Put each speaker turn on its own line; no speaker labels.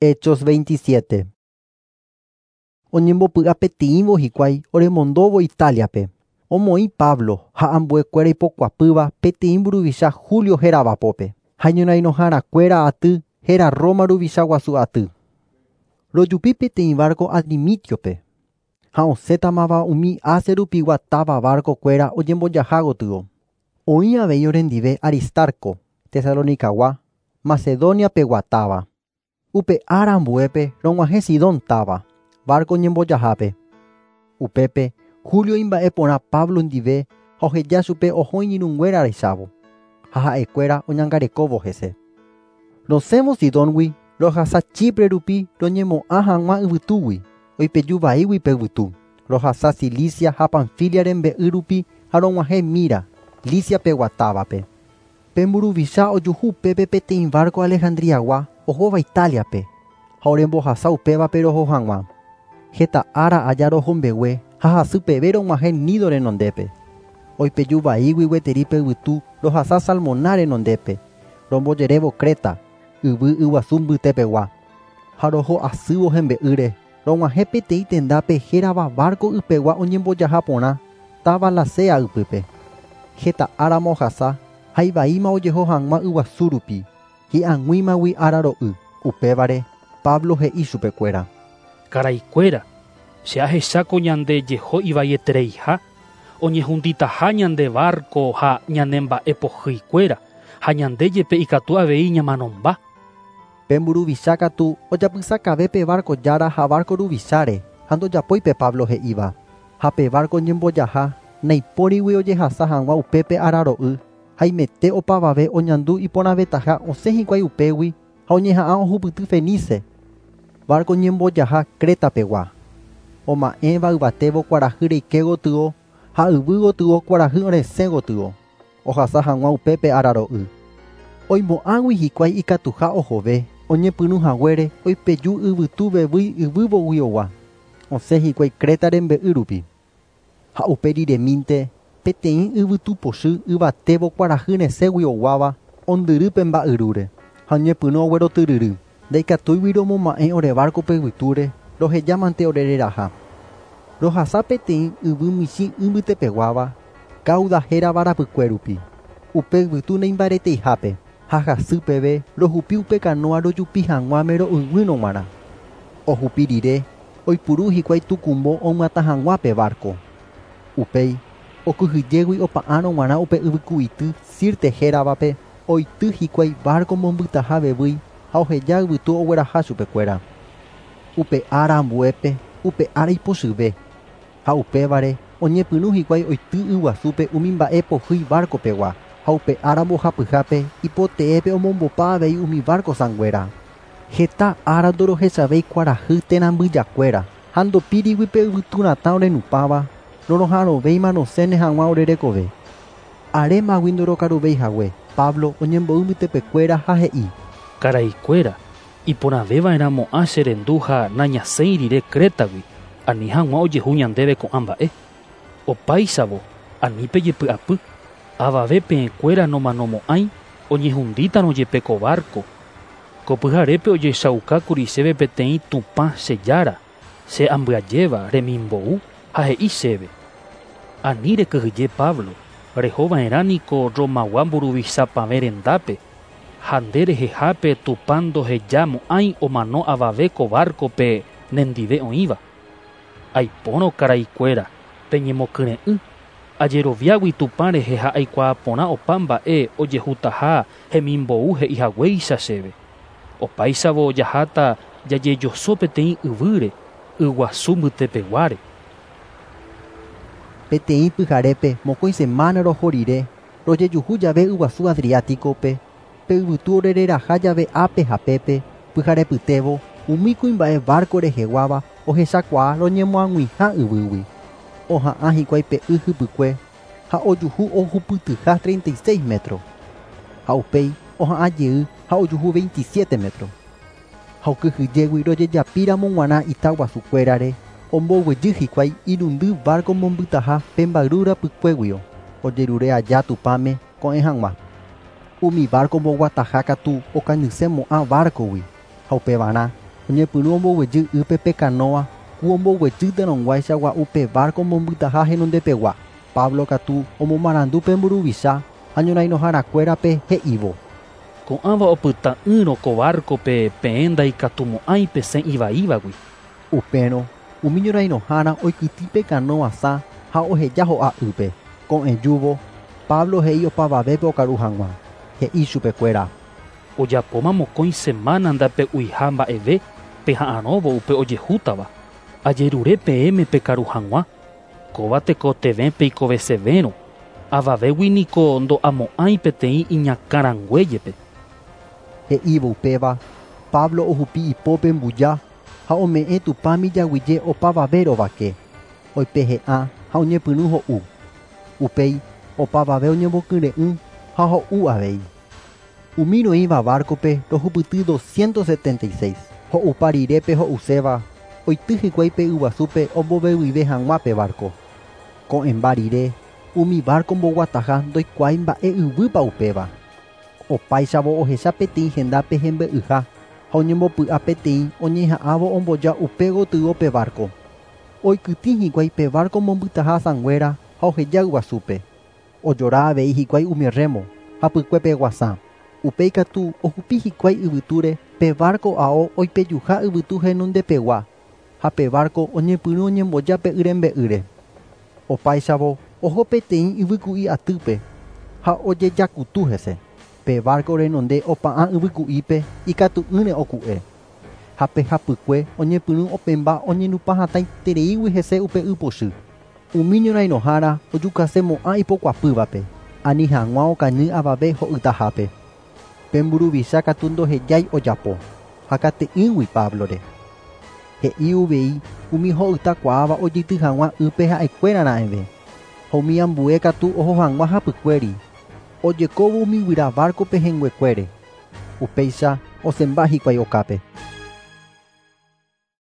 Hechos 27. Oñembopy'apeteĩvo hikuái oremondóvo Italia-pe. Omoĩ Pablo ha ambuekuéra ipokuapýva peteĩ mburuvicha Julio hérava pópe ha iñorairõharakuéra aty héra Roma ruvicha guasu aty. Rojupi peteĩ barco Adrimitio-pe ha osẽtamava umi Asia rupigua táva barco-kuéra oñembojaha gotyo. Oĩ avei orendive Aristarco, Tesalonicagua, Macedonia-pegua táva. Upe ára ambuépe rog̃uahẽ Sidón táva, barco ñembojahápe. Upépe, Julio imba'eporã Pablo ndive ha oheja chupe oho iñirũnguéra rechávo, ha ha'ekuéra oñangarekóvo hese. Rosẽvo Sidóngui rohasa Chipre rupi roñemo'ã hag̃ua yvytúgui, oipeju vaígui pe yvytu. Rohasa Cilicia ha Panfilia rembe'y rupi ha rog̃uahẽ Mira, Licia-pegua távape. Pe mburuvicha ojuhu upépe peteĩ barco Alejandriagua ohóva Italia-pe ha orembohasa upévape roho hag̃ua. Heta ára aja roho mbegue ha hasypeve rog̃uahẽ Nido renondépe. Oipeju vaígui gueteri pe yvytu rohasa Salmona renondépe, rombojerévo Creta, yvy yguasu mbytepegua. Ha roho asývo hembe'ýre, rog̃uahẽ peteĩ tendápe hérava barco ypegua oñembojaha porã, táva Lasea ypýpe. Heta árama ohasa ha ivaíma ojeho hag̃ua yguasu rupi, hi'ag̃uímagui ára ro'y. Upévare, Pablo he'i chupekuéra.
Karaikuéra, che ahecháko ñande jeho ivaietereiha, oñehunditaha ñande barco ha ñane mba'epohýikuéra, ha ñande jepe ikatu avei ñamanomba.
Pe mburuvicha katu ojapysakave pe barco jára ha barco ruvicháre ha ndojapói pe Pablo he'íva. Ha pe barco ñembojaha naipórigui ojehasa hag̃ua upépe ára ro'y, haimete opavave oñandu iporãvetaha osẽ hikuái upégui ha oñeha'ã ohupyty Fenice, barco ñembojaha Creta-pegua. Oma'ẽva yvatévo kuarahy reike gotyo ha yvy gotyo kuarahy resẽ gotyo, ohasa hag̃ua upépe ára ro'y. Oimo'ãgui hikuái ikatuha ohove, oñepyrũ haguére oipeju yvytu vevýi yvývoguiogua, osẽ hikuái Creta rembe'y rupi. Ha upe riremínte peteĩ yvytu pochy yvatévo kuarahy resẽgui oguáva ondyry pe mba'yrúre ha oñepyrũ oguerotyryry. Ndaikatúigui romoma'ẽ ore barco-pe yvytúre, rohejámante ore reraha. Rohasa peteĩ yvy michĩ y mbytepeguáva, Cauda hérava rapykue rupi. Upe yvytu neimbareteihápe ha hasypeve rohupi upe canoa rojupi hag̃uáme ro'yguýrõ g̃uarã. Ohupi rire, oipuru hikuái tukumbo omyatã hag̃ua pe barco. Upéi, okyhyjégui opa'ãrõ g̃uarã upe yvyku'ity Sirte héravape, oity hikuái barco mombytaha vevýi ha oheja yvytu ogueraha chupekuéra. Upe ára ambuépe, upe ára ipochyve, ha upévare oñepyrũ hikuái oity yguasúpe umi mba'e pohýi barco-pegua, ha upe ára mbohapyhápe ipoteépe omombopa avei umi barco sãnguéra. Heta ára ndorohechavéi kuarahy térã mbyjakuéra ha ndopírigui pe yvytu ratã orenupãva, roroha'arõvéima rosẽne hag̃ua ore rekove. Arémagui ndorokaruvéi hague, Pablo oñembo'y mbytepekuéra ha he'i.
Karaikuéra, iporãveva'erãmo'ã che rendu ha nañasẽi rire Crétagui, ani hag̃ua ojehu ñandéve ko'ã mba'e. Opáichavo, ani pejepy'apy, avave peẽkuéra nomanomo'ãi oñehundítarõ jepe ko barco. Ko pyharépe ojechaukákuri chéve peteĩ Tupã che Jára, che ambyajéva remimbou ha he'i chéve: Ani rekyhyje Pablo, rehova'erã niko Romagua mburuvichapavẽ rendápe, ha nde rehehápe Tupã ndohejamo'ãi omano avave ko barco-pe nendive oĩva. Aipórõ karaikuéra, peñemokyre'ỹ, ajeroviágui Tupã rehe ha aikuaa porã opa mba'e ojehutaha hemimbou he'ihaguéicha chéve. Opáichavo jaháta jajejoso peteĩ yvýre, yguasu mbytepeguáre.
Peteĩ pyharépe mokõi semana roho rire, rojejuhu jave yguasu Adriático-pe, pe yvytu orereraha jave ápe ha pépe, pyharepytévo, umi kuimba'e barco reheguáva ohechakuaa roñemoag̃uiha yvýgui. Oha'ã hikuái pe y hypykue ha ojuhu ohupytyha 36 metro. Ha upéi oha'ã jey ha ojuhu 27 metro. Ha okyhyjégui rojejapíramo g̃uarã ita guasukuérare, omboguejy hikuái irundy barco mombytaha pe mba'yru rapykuéguio, ojerure aja Tupãme ko'ẽ hag̃ua. Umi barco mboguataha katu okañysemo'ã barco-gui, ha upevarã oñepyrũ omboguejy ýpe pe kanóa ku omboguejýtarõguáicha gua'u pe barco mombytaha henondepegua. Pablo katu omomarandu pe mburuvicha ha ñorairõharakuérape he'ívo.
Ko'ãva opyta'ỹrõ ko barco-pe peẽ ndaikatumo'ãi pesẽ ivaívagui.
Upérõ umi ñorairõhára oikytĩ pe kanóa sã ha oheja ho'a ýpe. Ko'ẽjúvo Pablo he'i opavavépe okaru hag̃ua. He'i chupekuéra.
Ojapóma mokõi semana ndape'uiha mba'eve peha'arõvo upe ojehútava. Ajerure peẽme pekaru hag̃ua. Kóva tekotevẽ peikovesevérõ. Avavégui niko ndo'amo'ãi peteĩ iñakãrangue jepe.
He'ívo upéva, Pablo ohupi ipópe mbuja ha ome'ẽ Tupãmi jaguyje opavave rovake. Oipehe'ã ha oñepyrũ ho'u. Upéi opavave oñembokyre'ỹ ha ho'u avei. Umi roĩva barco-pe rohupyty 276. Ho'upa rire pe ho'uséva oity hikuái pe yguasúpe ombovevyve hag̃ua pe barco. Ko'ẽmba rire umi barco mboguataha ndoikuaái mba'e yvýpa upéva. Opáichavo ohecha peteĩ hendápe hembe'yha ha oñembopy'a peteĩ oñeha'ãvo omboja upe gotyo pe barco. Oikytĩ hikuái pe barco mombytaha sãnguéra ha oheja yguasúpe. Ojora avei hikuái umi remo hapykuépe guasã. Upéi katu ohupi hikuái yvytúre pe barco ao oipejuha yvytu henondepegua ha pe barco oñepyrũ oñemboja pe y rembe'ýre. Opáichavo oho peteĩ yvyku'i atýpe ha ojejakutu hese. Pe barco renonde opa'ã yvyku'ípe ikatu'ỹre oku'e. Ha pe hapykue oñepyrũ opẽmba oñenupã hatãitereígui hese upe ypochy. Umi ñorairõhára ojukasemo'ã ipokuapývape ani hag̃ua okañy avave ho'ytahápe. Pe mburuvicha katu ndohejái ojapo ha kate'ỹgui Pablore. He'i uvei umi ho'ytakuaáva ojeity hag̃ua ýpe ha'ekuérara'eve. Ha umi ambue katu oho hag̃ua hapykuéri. Ojekóvo umi guyra barco-pe henguekuére. Upéicha osẽmba hikuái okápe.